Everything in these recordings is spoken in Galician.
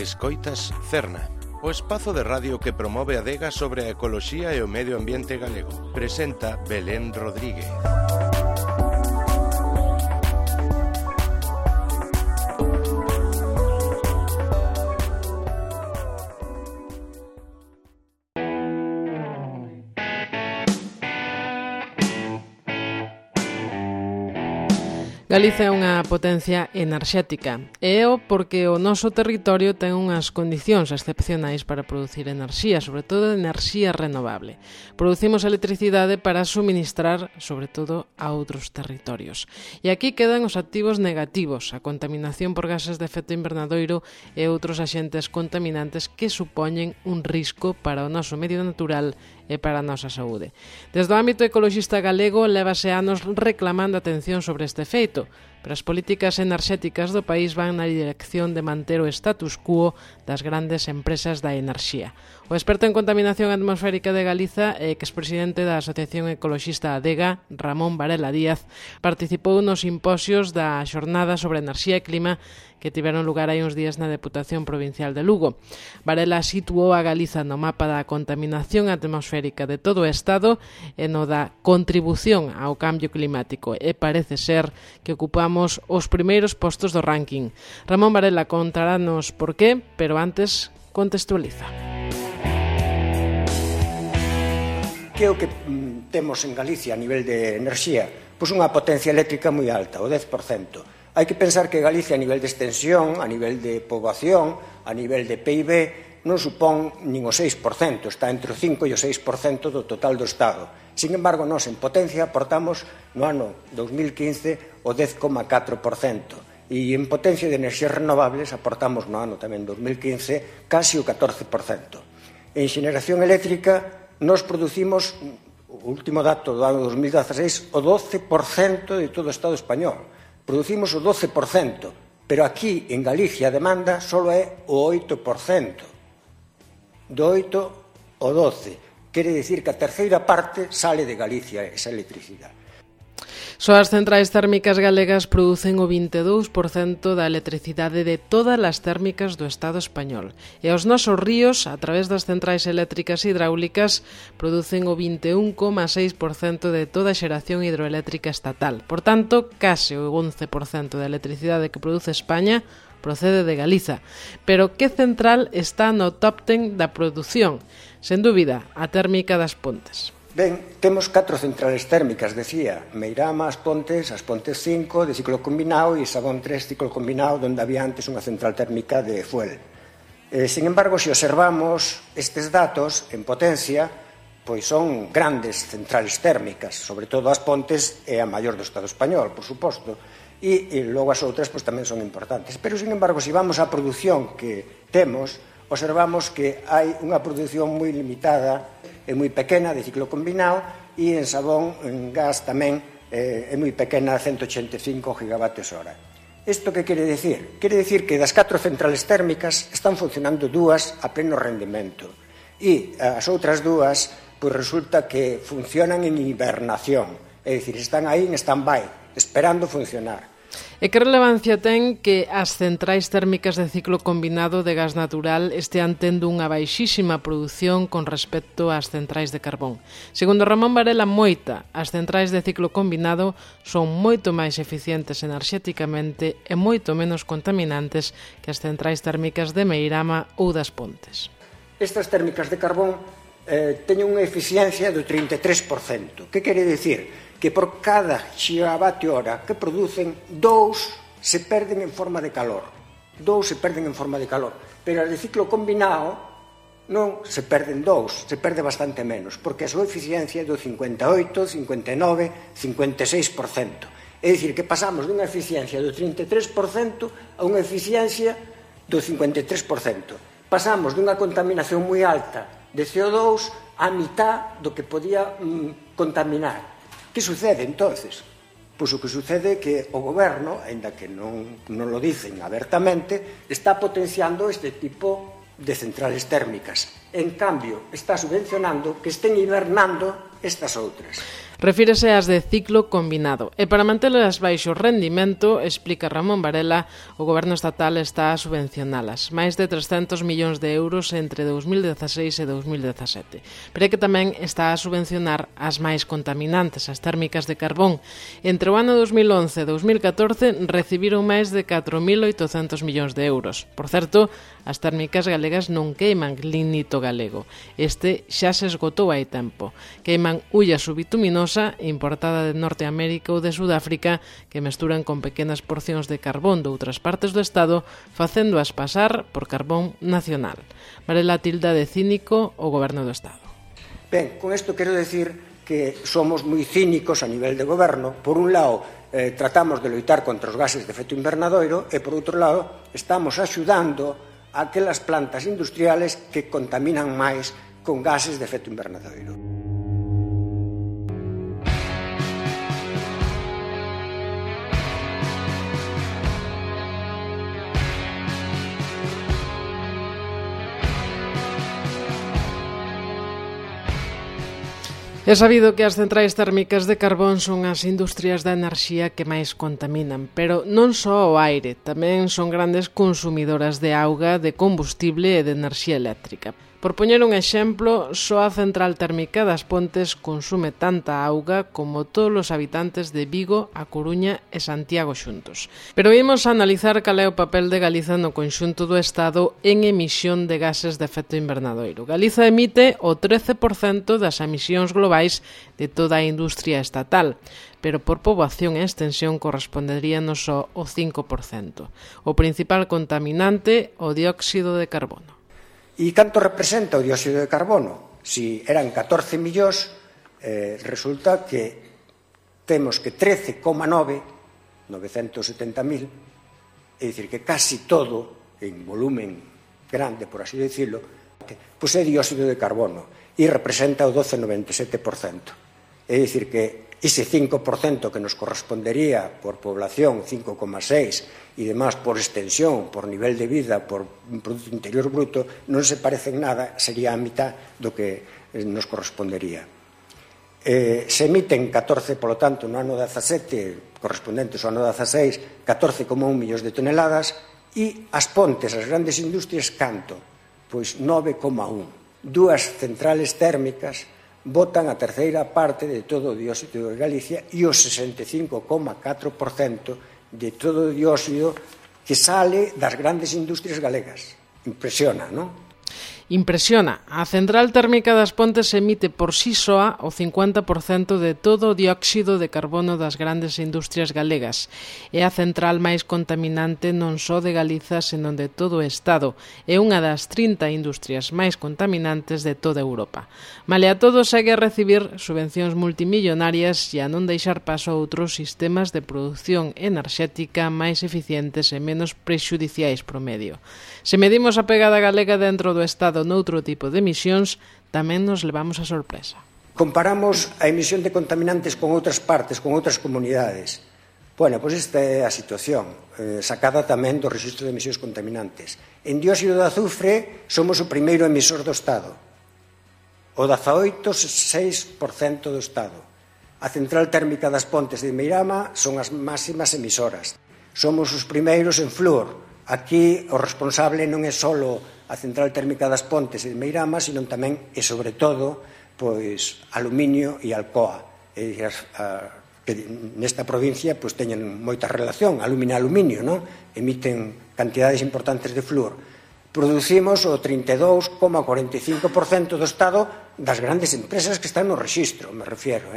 Escoitas Cerna, o espazo de radio que promove a adega sobre a ecoloxía e o medio ambiente galego. Presenta Belén Rodríguez. Galiza é unha potencia enerxética e é porque o noso territorio ten unhas condicións excepcionais para producir enerxía, sobre todo enerxía renovable. Producimos electricidade para suministrar, sobre todo, a outros territorios. E aquí quedan os activos negativos, a contaminación por gases de efecto invernadoiro e outros axentes contaminantes que supoñen un risco para o noso medio natural e para a nosa saúde. Desde o ámbito ecoloxista galego, lévase anos reclamando atención sobre este feito, pero as políticas enerxéticas do país van na dirección de manter o status quo das grandes empresas da enerxía. O experto en contaminación atmosférica de Galiza e expresidente da Asociación Ecoloxista ADEGA, Ramón Varela Díaz, participou nos simposios da Xornada sobre Enerxía e Clima que tiveron lugar hai uns días na Deputación Provincial de Lugo. Varela situou a Galiza no mapa da contaminación atmosférica de todo o Estado e no da contribución ao cambio climático e parece ser que ocupamos os primeiros postos do ranking. Ramón Varela contarános por qué, pero antes contextualiza. Que é o que temos en Galicia a nivel de enerxía? Pois unha potencia eléctrica moi alta, o 10%. Hai que pensar que Galicia a nivel de extensión, a nivel de poboación, a nivel de PIB, non supón nin o 6%, está entre o 5 e o 6% do total do Estado. Sin embargo, nós en potencia aportamos no ano 2015 o 10,4%. E en potencia de enerxías renovables aportamos no ano tamén 2015 casi o 14%. En xeneración eléctrica nos producimos, o último dato do ano 2016, o 12% de todo o Estado español. Producimos o 12%, pero aquí en Galicia a demanda só é o 8%. Do 8 ao 12. Quere dicir que a terceira parte sale de Galicia esa electricidade. Só as centrais térmicas galegas producen o 22% da electricidade de todas as térmicas do Estado español. E os nosos ríos, a través das centrais eléctricas hidráulicas, producen o 21,6% de toda a xeración hidroeléctrica estatal. Por tanto, case o 11% da electricidade que produce España procede de Galiza. Pero que central está no top 10 da produción? Sen dúbida, a térmica das Pontes. Ben, temos 4 centrales térmicas, decía, Meirama, As Pontes 5 de ciclo combinado e Sabón 3 ciclo combinado, onde había antes unha central térmica de fuel. Sin embargo, se observamos estes datos en potencia, pois son grandes centrales térmicas, sobre todo As Pontes é a maior do Estado español, por suposto, e logo as outras pois tamén son importantes. Pero, sin embargo, se vamos á produción que temos, observamos que hai unha produción moi limitada e moi pequena de ciclo combinado e en Sabón, en gas tamén é moi pequena, 185 gigavatios hora. Isto que quere dicir? Quere dicir que das 4 centrales térmicas están funcionando 2 a pleno rendimento e as outras 2 pois resulta que funcionan en hibernación, é dicir, están aí en stand-by, esperando funcionar. E que relevancia ten que as centrais térmicas de ciclo combinado de gas natural estean tendo unha baixísima produción con respecto ás centrais de carbón? Segundo Ramón Varela, moita, as centrais de ciclo combinado son moito máis eficientes enerxéticamente e moito menos contaminantes que as centrais térmicas de Meirama ou das Pontes. Estas térmicas de carbón teñen unha eficiencia do 33%. Que quere dicir? Que por cada gigavatio hora que producen, 2 se perden en forma de calor. 2 se perden en forma de calor. Pero as de ciclo combinado non se perden 2, se perde bastante menos, porque a súa eficiencia é do 58, 59, 56%. É dicir, que pasamos dunha eficiencia do 33% a unha eficiencia do 53%. Pasamos dunha contaminación moi alta de CO2 a mitad do que podía contaminar. Que sucede, entonces? Pois o que sucede é que o goberno, aínda que non lo dicen abertamente, está potenciando este tipo de centrales térmicas. En cambio, está subvencionando que estén hibernando estas outras. Refírese ás de ciclo combinado. E para mantelas baixo rendimento, explica Ramón Varela, o Goberno estatal está a subvencionalas. Máis de 300 millóns de euros entre 2016 e 2017. Pero é que tamén está a subvencionar as máis contaminantes, as térmicas de carbón. Entre o ano 2011 e 2014 recibiron máis de 4.800 millóns de euros. Por certo, as térmicas galegas non queiman lignito galego. Este xa se esgotou hai tempo. Queiman ulla subituminosa importada de Norteamérica ou de Sudáfrica que mesturan con pequenas porcións de carbón de outras partes do Estado facéndoas pasar por carbón nacional. Varela tilda de cínico o Goberno do Estado. Ben, con isto quero decir que somos moi cínicos a nivel de goberno. Por un lado, tratamos de loitar contra os gases de efecto invernadoiro e, por outro lado, estamos axudando a aquelas plantas industriales que contaminan máis con gases de efecto invernadoiro. É sabido que as centrais térmicas de carbón son as industrias da enerxía que máis contaminan, pero non só o aire, tamén son grandes consumidoras de auga, de combustible e de enerxía eléctrica. Por poñer un exemplo, só a central térmica das Pontes consume tanta auga como todos os habitantes de Vigo, A Coruña e Santiago xuntos. Pero vimos a analizar cal é o papel de Galiza no conxunto do Estado en emisión de gases de efecto invernadoiro. Galiza emite o 13% das emisións globais de toda a industria estatal, pero por poboación e extensión corresponderíanos só o 5%. O principal contaminante, o dióxido de carbono. E canto representa o dióxido de carbono? Si eran 14 millóns, resulta que temos que 13,9, 970.000, é dicir, que casi todo, en volumen grande, por así decirlo, pois é dióxido de carbono e representa o 12,97%. É dicir, que ese 5% que nos correspondería por población, 5,6%, e demás por extensión, por nivel de vida, por Producto Interior Bruto, non se parece en nada, sería a mitad do que nos correspondería. Se emiten 14, polo tanto, no ano 17, correspondentes ao ano 16, 14,1 millóns de toneladas, e as Pontes, as grandes industrias, canto? Pois 9,1. Dúas centrales térmicas botan a terceira parte de todo o dióxido de Galicia e o 65,4% de todo o dióxido que sale das grandes industrias galegas. Impresiona, non? Impresiona. A central térmica das Pontes emite por sí soa o 50% de todo o dióxido de carbono das grandes industrias galegas. É a central máis contaminante non só de Galiza, senón de todo o Estado. É unha das 30 industrias máis contaminantes de toda Europa. Malia todo, segue a recibir subvencións multimillonarias e a non deixar paso a outros sistemas de produción enerxética máis eficientes e menos prexudiciais pro medio. Se medimos a pegada galega dentro do Estado noutro tipo de emisións, tamén nos levamos a sorpresa. Comparamos a emisión de contaminantes con outras partes, con outras comunidades. Bueno, pois esta é a situación, sacada tamén do Rexistro de Emisións Contaminantes. En dióxido de azufre somos o primeiro emisor do Estado. O 18,6% do Estado. A central térmica das Pontes de Meirama son as máximas emisoras. Somos os primeiros en flúor. Aquí o responsable non é só a central térmica das Pontes de Meirama, sino tamén e sobre todo pois aluminio e Alcoa. Que nesta provincia pois teñen moita relación, aluminio, non? Emiten cantidades importantes de flúor. Producimos o 32,45% do Estado das grandes empresas que están no rexistro, me refiero,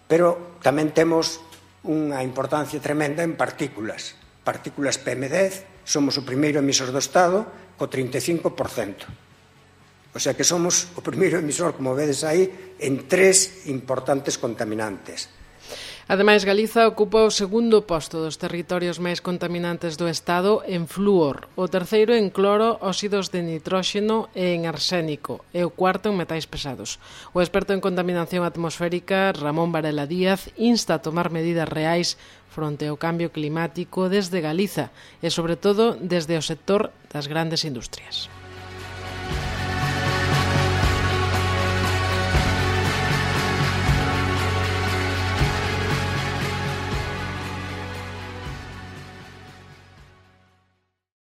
Pero tamén temos unha importancia tremenda en partículas. Partículas PM10, somos o primeiro emisor do Estado co 35%. O sea que somos o primeiro emisor, como vedes aí, en 3 importantes contaminantes. Ademais, Galiza ocupa o segundo posto dos territorios máis contaminantes do Estado en flúor, o terceiro en cloro, óxidos de nitróxeno e en arsénico, e o cuarto en metais pesados. O experto en contaminación atmosférica, Ramón Varela Díaz, insta a tomar medidas reais fronte ao cambio climático desde Galiza e, sobre todo, desde o sector das grandes industrias.